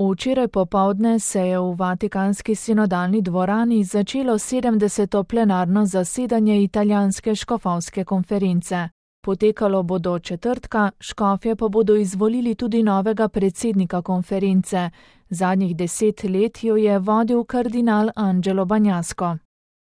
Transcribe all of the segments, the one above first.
Včeraj popoldne se je v Vatikanski sinodalni dvorani začelo 70. plenarno zasedanje italijanske škofovske konference. Potekalo bo do četrtka, škofje pa bodo izvolili tudi novega predsednika konference. Zadnjih 10 let jo je vodil kardinal Angelo Bagnasco.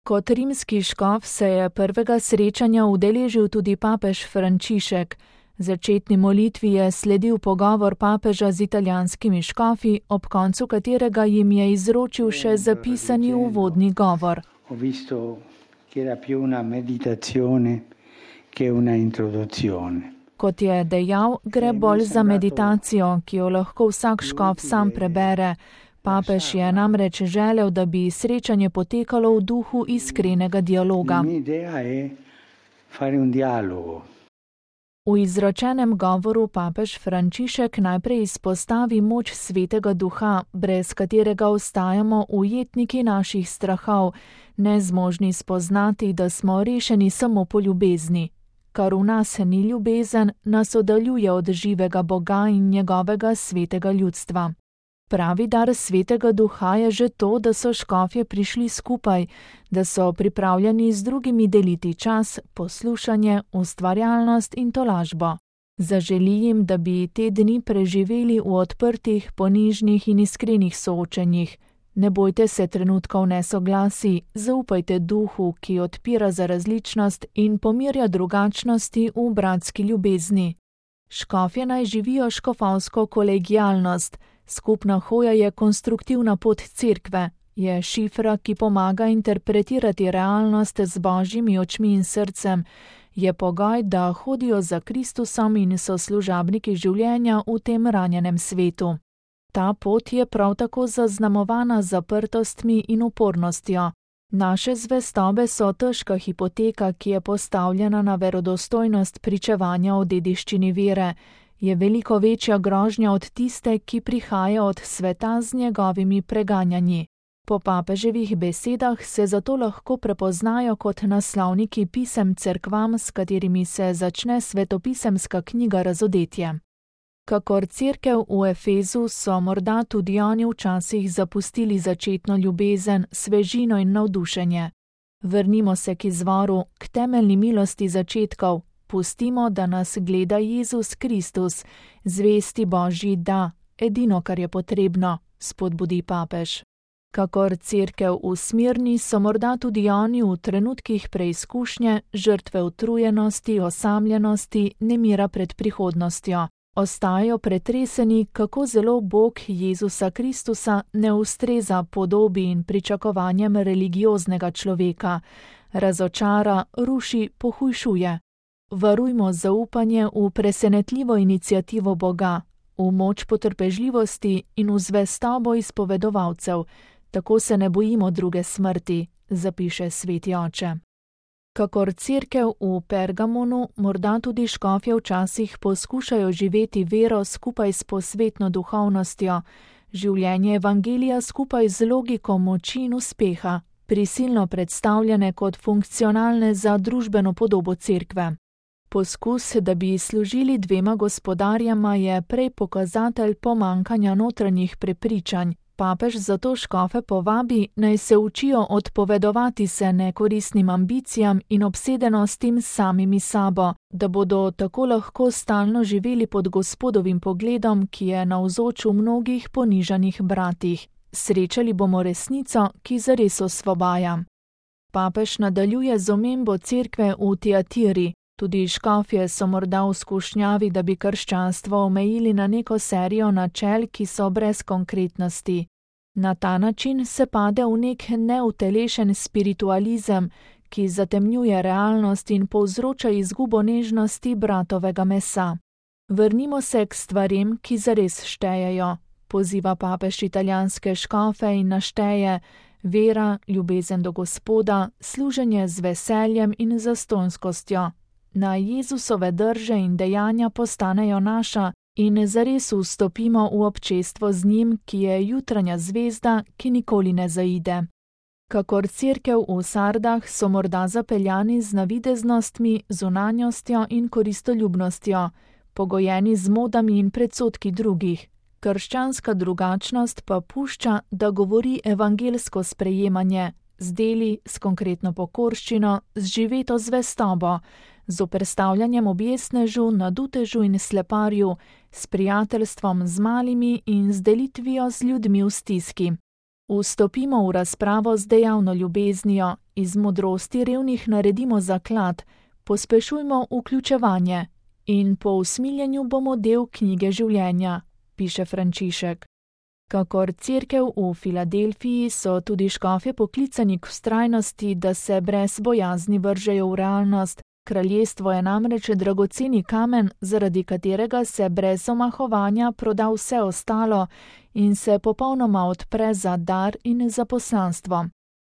Kot rimski škof se je prvega srečanja udeležil tudi papež Frančišek. Začetni molitvi je sledil pogovor papeža z italijanskimi škofi, ob koncu katerega jim je izročil še zapisani uvodni govor. Kot je dejal, gre bolj za meditacijo, ki jo lahko vsak škof sam prebere. Papež je namreč želel, da bi srečanje potekalo v duhu iskrenega dialoga. V izročenem govoru papež Frančišek najprej izpostavi moč Svetega Duha, brez katerega ostajamo ujetniki naših strahov, nezmožni spoznati, da smo rešeni samo po ljubezni. Kar v nas ni ljubezen, nas oddaljuje od živega Boga in njegovega svetega ljudstva. Pravi dar Svetega Duha je že to, da so škofje prišli skupaj, da so pripravljeni z drugimi deliti čas, poslušanje, ustvarjalnost in tolažbo. Zaželi jim, da bi te dni preživeli v odprtih, ponižnih in iskrenih soočenjih. Ne bojte se trenutkov nesoglasij, zaupajte duhu, ki odpira za različnost in pomirja drugačnosti v bratski ljubezni. Škofje naj živijo škofovsko kolegialnost. Skupna hoja je konstruktivna pot cerkve, je šifra, ki pomaga interpretirati realnost z božjimi očmi in srcem, je pogoj, da hodijo za Kristusom in so služabniki življenja v tem ranjenem svetu. Ta pot je prav tako zaznamovana zaprtostmi in upornostjo. Naše zvestobe so težka hipoteka, ki je postavljena na verodostojnost pričevanja o dediščini vere. Je veliko večja grožnja od tiste, ki prihaja od sveta z njegovimi preganjanji. Po papeževih besedah se zato lahko prepoznajo kot naslovniki pisem cerkvam, s katerimi se začne svetopisemska knjiga Razodetje. Kakor cerkev v Efezu so morda tudi oni včasih zapustili začetno ljubezen, svežino in navdušenje. Vrnimo se k izvoru, k temeljni milosti začetkov. Pustimo, da nas gleda Jezus Kristus, zvesti Božji da, edino, kar je potrebno, spodbudi papež. Kakor cerkev v Smirni so morda tudi oni v trenutkih preizkušnje, žrtve utrujenosti, osamljenosti, nemira pred prihodnostjo. Ostajajo pretreseni, kako zelo Bog Jezusa Kristusa ne ustreza podobi in pričakovanjem religioznega človeka. Razočara, ruši, pohujšuje. Varujmo zaupanje v presenetljivo iniciativo Boga, v moč potrpežljivosti in v zvestobo izpovedovalcev, tako se ne bojimo druge smrti, zapiše sveti oče. Kakor cerkev v Pergamonu, morda tudi škofje včasih poskušajo živeti vero skupaj s posvetno duhovnostjo, življenje evangelija skupaj z logiko moči in uspeha, prisilno predstavljene kot funkcionalne za družbeno podobo cerkve. Poskus, da bi služili dvema gospodarjama, je prej pokazatelj pomankanja notranjih prepričanj. Papež zato škofe povabi, naj se učijo odpovedovati se nekoristnim ambicijam in obsedenostim samimi sabo, da bodo tako lahko stalno živeli pod Gospodovim pogledom, ki je navzoč v mnogih ponižanih bratih. Srečali bomo resnico, ki zares osvobaja. Papež nadaljuje z omembo cerkve v Tiatiri. Tudi škofje so morda v skušnjavi, da bi krščanstvo omejili na neko serijo načel, ki so brez konkretnosti. Na ta način se pade v nek neutelešen spiritualizem, ki zatemnjuje realnost in povzroča izgubo nežnosti bratovega mesa. Vrnimo se k stvarem, ki zares štejejo. Poziva papež italijanske škofe in našteje vera, ljubezen do Gospoda, služenje z veseljem in zastonjskostjo. Naj Jezusove drže in dejanja postanejo naša in zares vstopimo v občestvo z njim, ki je jutranja zvezda, ki nikoli ne zaide. Kakor cerkev v Sardah so morda zapeljani z navideznostmi, zunanjostjo in koristoljubnostjo, pogojeni z modami in predsodki drugih. Krščanska drugačnost pa pušča, da govori evangelsko sprejemanje, z deli, s konkretno pokorščino, z živeto zvestobo, z oprstavljanjem objesnežu, nadutežu in sleparju, s prijateljstvom z malimi in z delitvijo z ljudmi v stiski. Vstopimo v razpravo z dejavno ljubeznijo, iz modrosti revnih naredimo zaklad, pospešujmo vključevanje in po usmiljenju bomo del knjige življenja, piše Frančišek. Kakor cerkev v Filadelfiji so tudi škofje poklicani k vztrajnosti, da se brez bojazni vržejo v realnost. Kraljestvo je namreč dragoceni kamen, zaradi katerega se brez omahovanja proda vse ostalo in se popolnoma odpre za dar in za poslanstvo.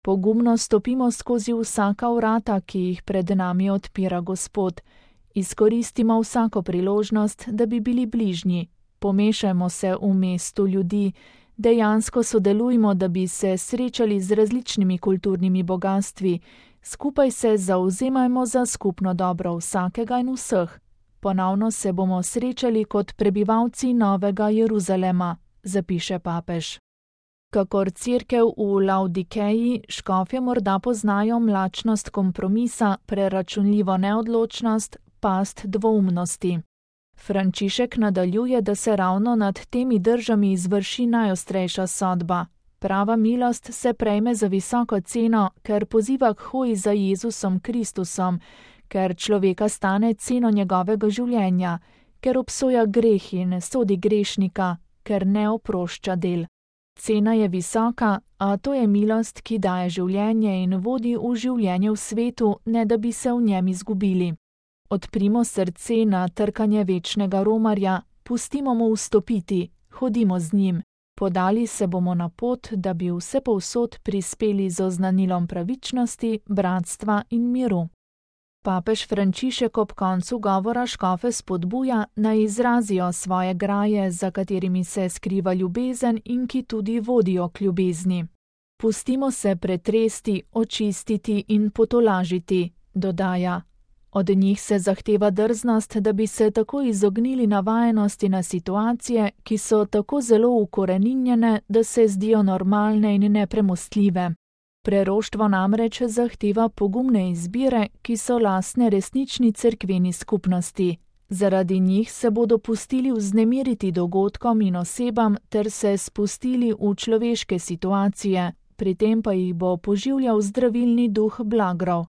Pogumno stopimo skozi vsaka vrata, ki jih pred nami odpira Gospod. Izkoristimo vsako priložnost, da bi bili bližnji. Pomešajmo se v mestu ljudi, dejansko sodelujmo, da bi se srečali z različnimi kulturnimi bogastvi, skupaj se zavzemajmo za skupno dobro vsakega in vseh. Ponovno se bomo srečali kot prebivalci Novega Jeruzalema, zapiše papež. Kakor cerkev v Laodikeji, škofje morda poznajo mlačnost kompromisa, preračunljivo neodločnost, past dvoumnosti. Frančišek nadaljuje, da se ravno nad temi držami izvrši najostrejša sodba. Prava milost se prejme za visoko ceno, ker poziva k hoji za Jezusom Kristusom, ker človeka stane ceno njegovega življenja, ker obsoja greh in sodi grešnika, ker ne oprošča del. Cena je visoka, a to je milost, ki daje življenje in vodi v življenje v svetu, ne da bi se v njem izgubili. Odprimo srce na trkanje večnega romarja, pustimo mu vstopiti, hodimo z njim. Podali se bomo na pot, da bi vsepovsod prispeli z oznanilom pravičnosti, bratstva in miru. Papež Frančišek ob koncu govora škofe spodbuja, naj izrazijo svoje graje, za katerimi se skriva ljubezen in ki tudi vodijo k ljubezni. Pustimo se pretresti, očistiti in potolažiti, dodaja. Od njih se zahteva drznost, da bi se tako izognili navajenosti na situacije, ki so tako zelo ukoreninjene, da se zdijo normalne in nepremostljive. Preroštvo namreč zahteva pogumne izbire, ki so lastne resnični cerkveni skupnosti. Zaradi njih se bodo pustili vznemiriti dogodkom in osebam ter se spustili v človeške situacije, pri tem pa jih bo poživljal zdravilni duh blagrov.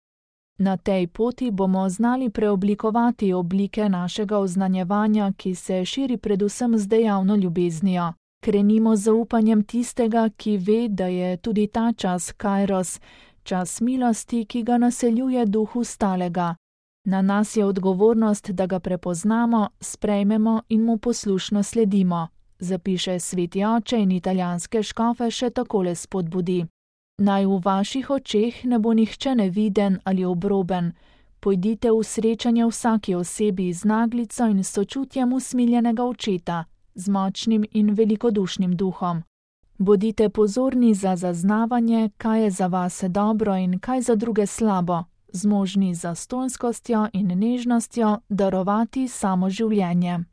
Na tej poti bomo znali preoblikovati oblike našega oznanjevanja, ki se širi predvsem z dejavno ljubeznijo. Krenimo z zaupanjem tistega, ki ve, da je tudi ta čas kairos, čas milosti, ki ga naseljuje duh ustalega. Na nas je odgovornost, da ga prepoznamo, sprejmemo in mu poslušno sledimo, zapiše sveti oče in italijanske škofe še takole spodbudi. Naj v vaših očeh ne bo nihče neviden ali obroben. Pojdite v srečanje vsaki osebi z naglico in sočutjem usmiljenega očeta, z močnim in velikodušnim duhom. Bodite pozorni za zaznavanje, kaj je za vas dobro in kaj za druge slabo, zmožni z zastonjskostjo in nežnostjo darovati samo življenje.